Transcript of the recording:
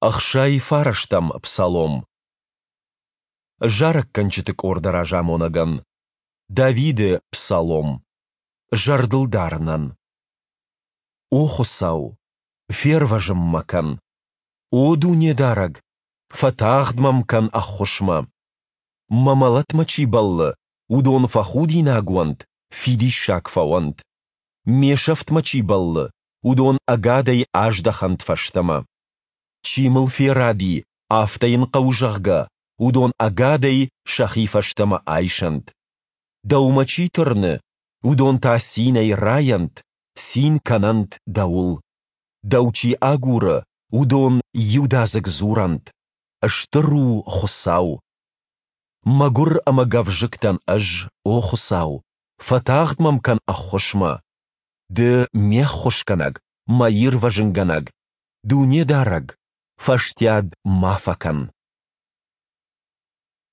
69-ӕм псалом. Зарӕггӕнджыты къорды разамонӕгӕн. Давиды псалом. Зӕрдылдарынӕн. О Хуыцау, фервӕзын мӕ кӕн! О Дунедарӕг, фӕтагъд мӕм кӕн ӕххуысмӕ! Мӕ мӕлӕтмӕ чи бӕллы, уыдон фӕхудинаг уӕнт, фидиссаг фӕуӕнт. Ме сӕфтмӕ чи бӕллы, уыдон ӕгадӕй аздӕхӕнт фӕстӕмӕ. Чи мыл фӕради, афтӕ йын хъӕуы, зӕгъгӕ, уыдон ӕгадӕй сӕхи фӕстӕмӕ айсӕнт. Дӕумӕ чи тырны, уыдон та цинӕй райӕнт, цин кӕнӕнт дӕуыл. Дӕу чи агуры, уыдон иудадзыг дзурӕнт: Стыр у Хуыцау! Мӕгуыр ӕмӕ гӕвзыкк дӕн ӕз, о Хуыцау, фӕтагъд мӕм кӕн ӕххуысмӕ. Ды ме ххуысгӕнӕг, мӕ ирвӕзынгӕнӕг, Дунедарӕг, фӕстиат ма фӕкӕн.